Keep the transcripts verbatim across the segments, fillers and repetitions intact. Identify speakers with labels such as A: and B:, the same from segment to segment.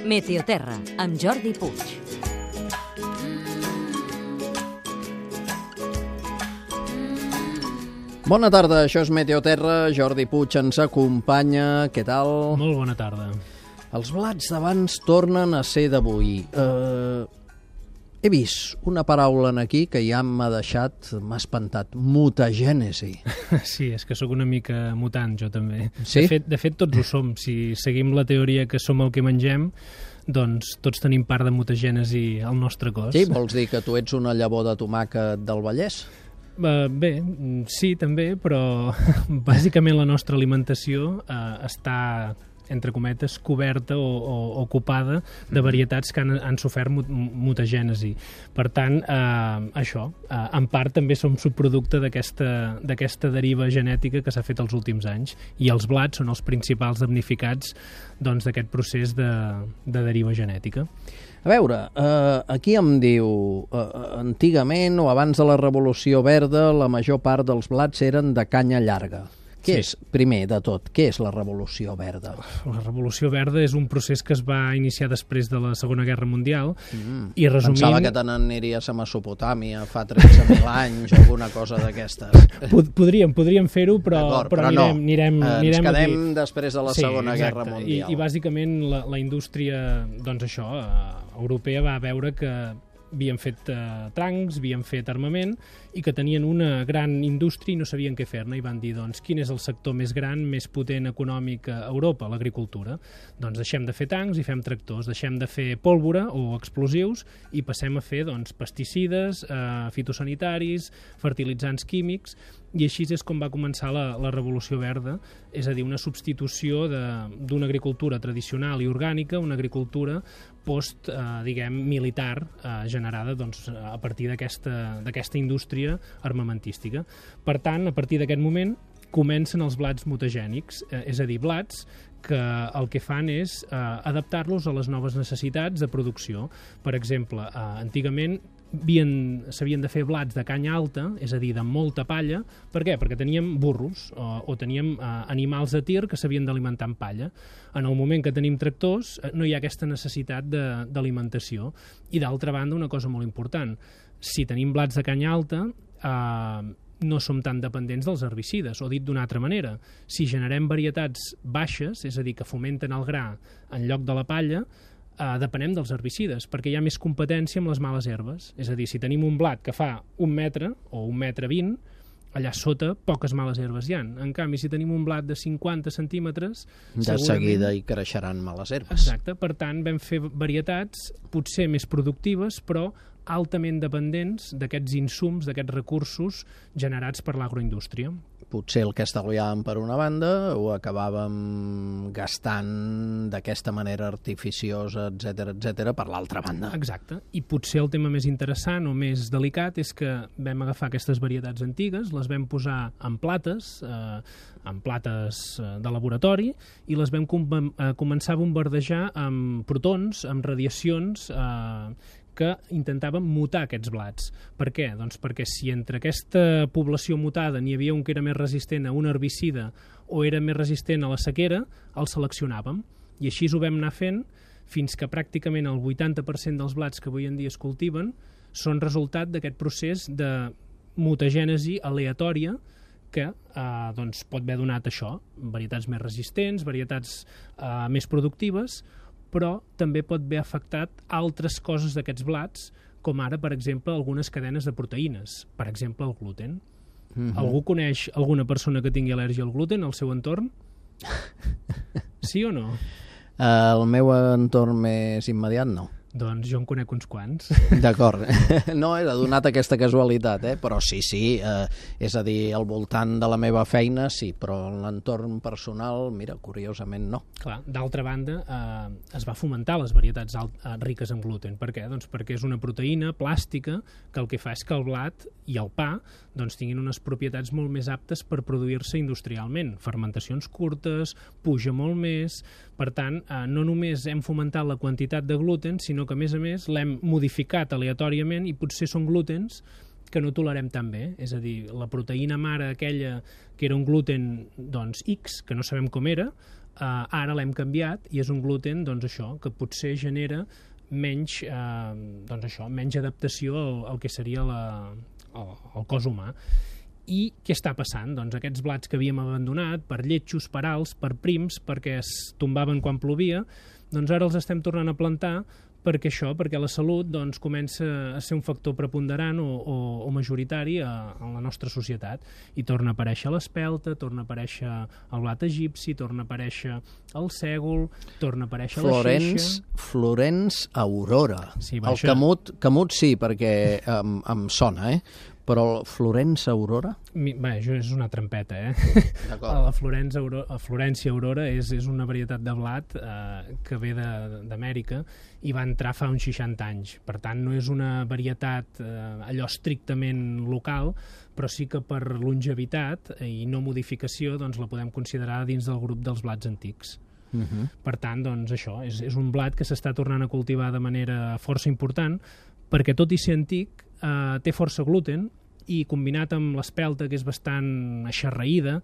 A: Meteoterra, amb Jordi Puig.
B: Bona tarda, això és Meteoterra, Jordi Puig ens acompanya, què tal?
C: Molt bona tarda.
B: Els blats d'abans tornen a ser d'avui. Uh, he vist una paraula en aquí que ja m'ha deixat, m'ha espantat, mutagènesi.
C: Sí, és que sóc una mica mutant, jo també.
B: Sí?
C: De fet, de fet, tots ho som. Si seguim la teoria que som el que mengem, doncs tots tenim part de mutagènesi al nostre cos.
B: Sí, vols dir que tu ets una llavor de tomàquet del Vallès?
C: Uh, bé, sí, també, però bàsicament la nostra alimentació uh, està, entre cometes, coberta o, o ocupada de varietats que han, han sofert mut mutagènesi. Per tant, eh, això, eh, en part també som subproducte d'aquesta d'aquesta deriva genètica que s'ha fet els últims anys, i els blats són els principals damnificats doncs, d'aquest procés de, de deriva genètica.
B: A veure, eh, aquí em diu, eh, antigament o abans de la Revolució Verda, la major part dels blats eren de canya llarga. Què sí. és, primer de tot, què és la Revolució Verda?
C: La Revolució Verda és un procés que es va iniciar després de la Segona Guerra Mundial.
B: Mm.
C: I resumint...
B: Pensava que te n'aniries a Mesopotàmia fa tretze mil anys o alguna cosa d'aquestes.
C: Pod podríem, podríem fer-ho, però, però,
B: però
C: anirem,
B: no.
C: anirem,
B: Ens
C: anirem
B: quedem
C: aquí.
B: després de la
C: sí,
B: Segona
C: exacte.
B: Guerra Mundial.
C: I, i bàsicament la, la indústria, doncs això, eh, europea va veure que havien fet eh, tancs, havien fet armament i que tenien una gran indústria i no sabien què fer-ne, i van dir, doncs, quin és el sector més gran, més potent econòmic a Europa? L'agricultura. Doncs deixem de fer tancs i fem tractors, deixem de fer pólvora o explosius i passem a fer, doncs, pesticides, eh, fitosanitaris, fertilitzants químics, i així és com va començar la, la Revolució Verda, és a dir, una substitució d'una agricultura tradicional i orgànica, una agricultura post, eh, diguem, militar, eh, generada doncs, a partir d'aquesta d'aquesta indústria armamentística. Per tant, a partir d'aquest moment, comencen els blats mutagènics, eh, és a dir, blats que el que fan és eh, adaptar-los a les noves necessitats de producció. Per exemple, eh, antigament s'havien de fer blats de canya alta, és a dir, de molta palla. Per què? Perquè teníem burros o, o teníem eh, animals de tir que s'havien d'alimentar amb palla. En el moment que tenim tractors eh, no hi ha aquesta necessitat d'alimentació. I d'altra banda, una cosa molt important, si tenim blats de canya alta, eh, no som tan dependents dels herbicides, o dit d'una altra manera, si generem varietats baixes, és a dir, que fomenten el gra en lloc de la palla, eh, depenem dels herbicides, perquè hi ha més competència amb les males herbes. És a dir, si tenim un blat que fa un metre o un metre vint, allà sota poques males herbes hi ha. En canvi, si tenim un blat de cinquanta centímetres...
B: De segurament... seguida hi creixeran males herbes.
C: Exacte, per tant, vam fer varietats potser més productives, però altament dependents d'aquests insums, d'aquests recursos generats per l'agroindústria.
B: Potser el que estalviàvem per una banda ho acabàvem gastant d'aquesta manera artificiosa, etcètera, etcètera, per l'altra banda.
C: Exacte. I potser el tema més interessant o més delicat és que vam agafar aquestes varietats antigues, les vam posar en plates, eh, en plates de laboratori, i les vam com eh, començar a bombardejar amb protons, amb radiacions, eh, que intentaven mutar aquests blats. Per què? Doncs perquè si entre aquesta població mutada n'hi havia un que era més resistent a un herbicida o era més resistent a la sequera, el seleccionàvem. I així ho vam anar fent fins que pràcticament el vuitanta per cent dels blats que avui en dia es cultiven són resultat d'aquest procés de mutagènesi aleatòria que eh, doncs pot haver donat això, varietats més resistents, varietats eh, més productives, però també pot haver afectat altres coses d'aquests blats, com ara, per exemple, algunes cadenes de proteïnes, per exemple, el gluten. Mm-hmm. Algú coneix alguna persona que tingui al·lèrgia al gluten al seu entorn? Sí o no?
B: El meu entorn més immediat, no.
C: Doncs jo en conec uns quants.
B: D'acord. No era donat aquesta casualitat, eh? Però sí, sí, eh, és a dir, al voltant de la meva feina sí, però en l'entorn personal, mira, curiosament no.
C: Clar, d'altra banda, eh, es va fomentar les varietats alt, eh, riques en gluten. Per què? Doncs perquè és una proteïna plàstica que el que fa és que el blat i el pa doncs, tinguin unes propietats molt més aptes per produir-se industrialment. Fermentacions curtes, puja molt més. Per tant, eh, no només hem fomentat la quantitat de gluten, sinó que, a més a més, l'hem modificat aleatòriament i potser són glutens que no tolerem tan bé. És a dir, la proteïna mare aquella que era un gluten doncs, X, que no sabem com era, eh, ara l'hem canviat i és un gluten doncs, això, que potser genera menys, eh, doncs això, menys adaptació al, al que seria la, el, el cos humà. I què està passant? Doncs aquests blats que havíem abandonat per lletjos, per alts, per prims, perquè es tombaven quan plovia, doncs ara els estem tornant a plantar perquè això, perquè la salut doncs, comença a ser un factor preponderant o, o, o majoritari a, a la nostra societat. I torna a aparèixer l'espelta, torna a aparèixer el blat egipci, torna a aparèixer el sègol, torna a aparèixer
B: Florence,
C: la xeixa...
B: Florence Aurora.
C: Sí, va,
B: el
C: això...
B: Canut, Canut sí, perquè em, em sona, eh? Però el Florence Aurora?
C: Mi, bé, això és una trampeta, eh?
B: D'acord.
C: La Florence Aurora, la Florència Aurora és, és una varietat de blat eh, que ve d'Amèrica i va entrar fa uns seixanta anys. Per tant, no és una varietat eh, allò estrictament local, però sí que per longevitat i no modificació doncs, la podem considerar dins del grup dels blats antics.
B: Uh-huh.
C: Per tant, doncs, això és, és un blat que s'està tornant a cultivar de manera força important perquè, tot i ser antic, eh, té força gluten i combinat amb l'espelta, que és bastant aixarraïda,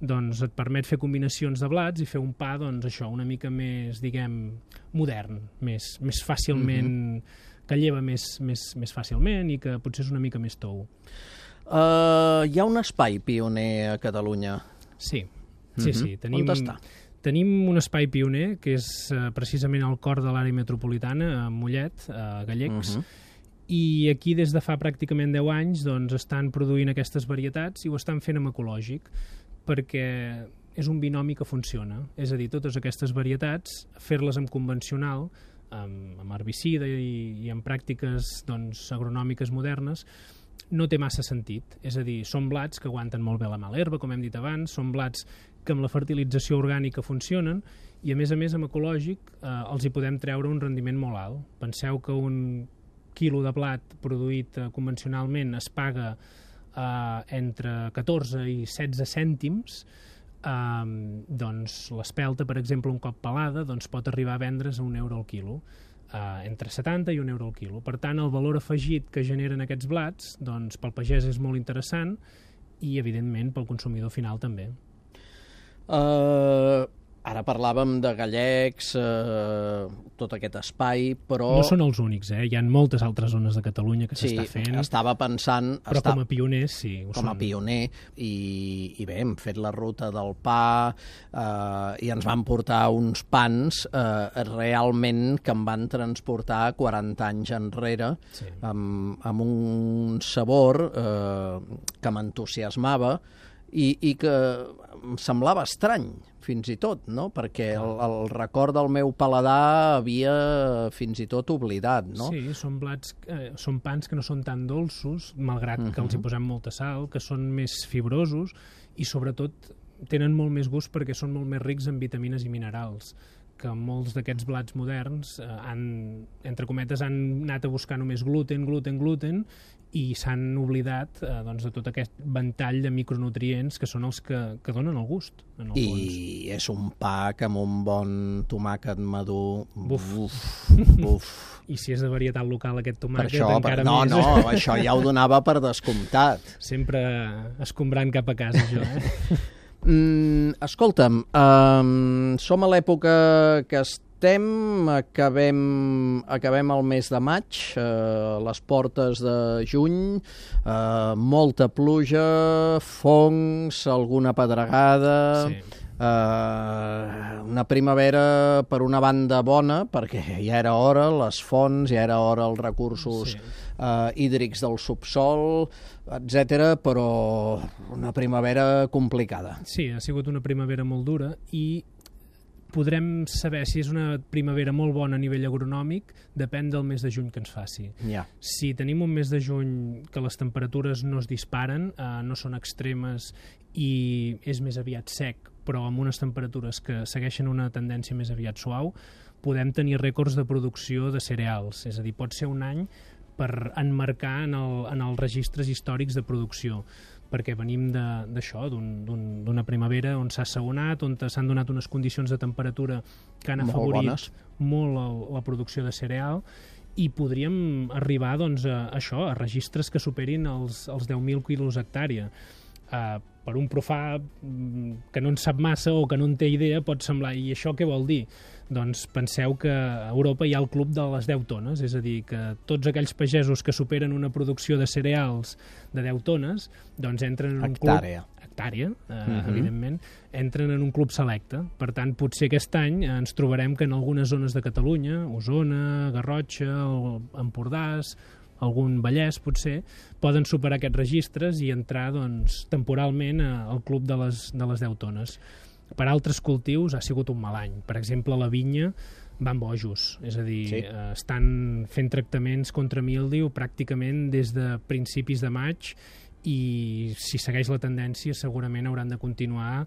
C: doncs et permet fer combinacions de blats i fer un pa, doncs això, una mica més, diguem, modern, més, més fàcilment, mm-hmm. que lleva més, més, més fàcilment i que potser és una mica més tou.
B: Uh, hi ha un espai pioner a Catalunya.
C: Sí, sí,
B: mm-hmm.
C: sí. Tenim,
B: on està?
C: Tenim un espai pioner, que és uh, precisament al cor de l'àrea metropolitana, a Mollet, a Gallecs,
B: Mm-hmm.
C: i aquí des de fa pràcticament deu anys doncs, estan produint aquestes varietats i ho estan fent amb ecològic, perquè és un binomi que funciona. És a dir, totes aquestes varietats, fer-les amb convencional, amb, amb herbicida i, i amb pràctiques doncs, agronòmiques modernes, no té massa sentit. És a dir, són blats que aguanten molt bé la mala herba, com hem dit abans, són blats que amb la fertilització orgànica funcionen i, a més a més, amb ecològic eh, els hi podem treure un rendiment molt alt. Penseu que un quilo de blat produït eh, convencionalment es paga eh, entre catorze i setze cèntims, eh, doncs l'espelta, per exemple, un cop pelada, doncs pot arribar a vendre's a un euro al quilo, eh, entre setanta i un euro al quilo. Per tant, el valor afegit que generen aquests blats, doncs pel pagès és molt interessant i, evidentment, pel consumidor final també.
B: Uh, ara parlàvem de Gallecs, uh, tot aquest espai, però...
C: No són els únics, eh? Hi ha moltes altres zones de Catalunya que s'està
B: sí,
C: fent.
B: estava pensant...
C: Però
B: està...
C: com a pioners, sí. Ho
B: com a
C: són.
B: pioner, i, i bé, hem fet la ruta del pa eh, i ens van portar uns pans eh, realment que em van transportar quaranta anys enrere,
C: Sí.
B: amb, amb un sabor eh, que m'entusiasmava i, i que em semblava estrany, fins i tot, no? Perquè el, el record del meu paladar havia fins i tot oblidat, no?
C: Sí, són blats, eh, són pans que no són tan dolços, malgrat uh-huh. que els hi posem molta sal, que són més fibrosos i, sobretot, tenen molt més gust perquè són molt més rics en vitamines i minerals, que molts d'aquests blats moderns eh, han, entre cometes, han anat a buscar només gluten, gluten, gluten, i s'han oblidat eh, doncs, de tot aquest ventall de micronutrients que són els que, que donen el gust, en el
B: I
C: fons.
B: és un pa que amb un bon tomàquet madur...
C: Buf.
B: Uf, buf.
C: I si és de varietat local aquest
B: Per
C: tomàquet,
B: això,
C: encara
B: per... no,
C: més.
B: no, això ja ho donava per descomptat.
C: Sempre escombrant cap a casa, jo, eh?
B: Mm, escolta'm, um, som a l'època que estem, acabem, acabem el mes de maig, uh, les portes de juny, uh, molta pluja, fongs, alguna pedregada...
C: Sí.
B: Uh, una primavera per una banda bona, perquè ja era hora, les fonts, ja era hora els recursos
C: Sí.
B: uh, hídrics del subsol, etcètera, però una primavera complicada.
C: Sí, ha sigut una primavera molt dura i podrem saber si és una primavera molt bona a nivell agronòmic, depèn del mes de juny que ens faci.
B: Ja.
C: Si tenim un mes de juny que les temperatures no es disparen, eh, no són extremes i és més aviat sec, però amb unes temperatures que segueixen una tendència més aviat suau, podem tenir rècords de producció de cereals. És a dir, pot ser un any per enmarcar en, el, en els registres històrics de producció, perquè venim d'això, d'una primavera on s'ha assaonat, on s'han donat unes condicions de temperatura que han
B: Molt
C: afavorit
B: bones.
C: molt el, la producció de cereal i podríem arribar doncs, a, a això, a registres que superin els, els deu mil quilos hectàrea. Uh, per un profà que no en sap massa o que no en té idea pot semblar, i això què vol dir? Doncs penseu que a Europa hi ha el club de les deu tones, és a dir, que tots aquells pagesos que superen una producció de cereals de deu tones, doncs entren en un
B: Hectàrea.
C: club... Hectàrea. Eh,
B: Uh-huh.
C: evidentment, entren en un club selecte. Per tant, potser aquest any ens trobarem que en algunes zones de Catalunya, Osona, Garrotxa, Empordàs, algun Vallès, potser, poden superar aquests registres i entrar doncs, temporalment al club de les, de les deu tones. Per altres cultius ha sigut un mal any. Per exemple, la vinya van bojos, és a dir,
B: Sí.
C: eh, estan fent tractaments contra míldiu pràcticament des de principis de maig i si segueix la tendència segurament hauran de continuar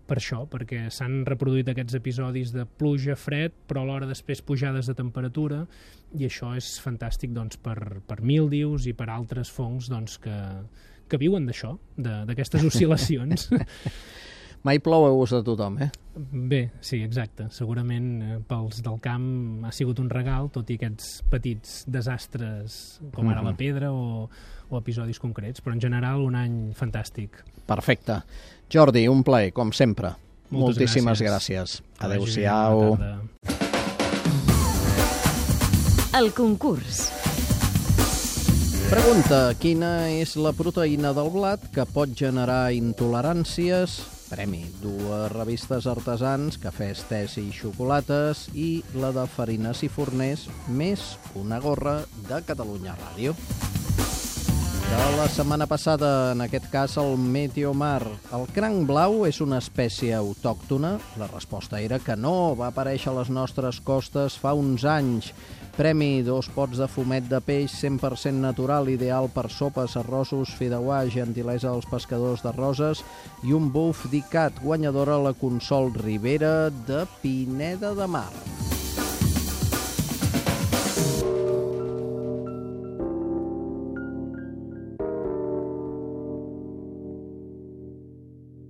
C: per això, perquè s'han reproduït aquests episodis de pluja, fred, però alhora després pujades de temperatura, i això és fantàstic doncs, per, per míldius i per altres fongs doncs, que, que viuen d'això, de- d'aquestes oscil·lacions.
B: Mai plou a gust de tothom, eh?
C: Bé, sí, exacte. Segurament eh, pels del camp ha sigut un regal, tot i aquests petits desastres, com ara la pedra o, o episodis concrets, però en general un any fantàstic.
B: Perfecte. Jordi, un plaer, com sempre.
C: Moltes
B: Moltíssimes
C: gràcies.
B: gràcies.
C: Que vagi bé,
B: Adéu-siau.
C: bona tarda.
A: El concurs.
B: Pregunta, quina és la proteïna del blat que pot generar intoleràncies? Premi, dues revistes artesans, cafès, tés i xocolates, i la de Farines i Forners, més una gorra de Catalunya Ràdio. De la setmana passada, en aquest cas, el Meteomar. El cranc blau és una espècie autòctona? La resposta era que no, va aparèixer a les nostres costes fa uns anys. Premi, dos pots de fumet de peix cent per cent natural, ideal per sopes, arrossos, fideuà, gentilesa als pescadors de Roses, i un buf d'Icat, guanyadora la Consol Ribera de Pineda de Mar.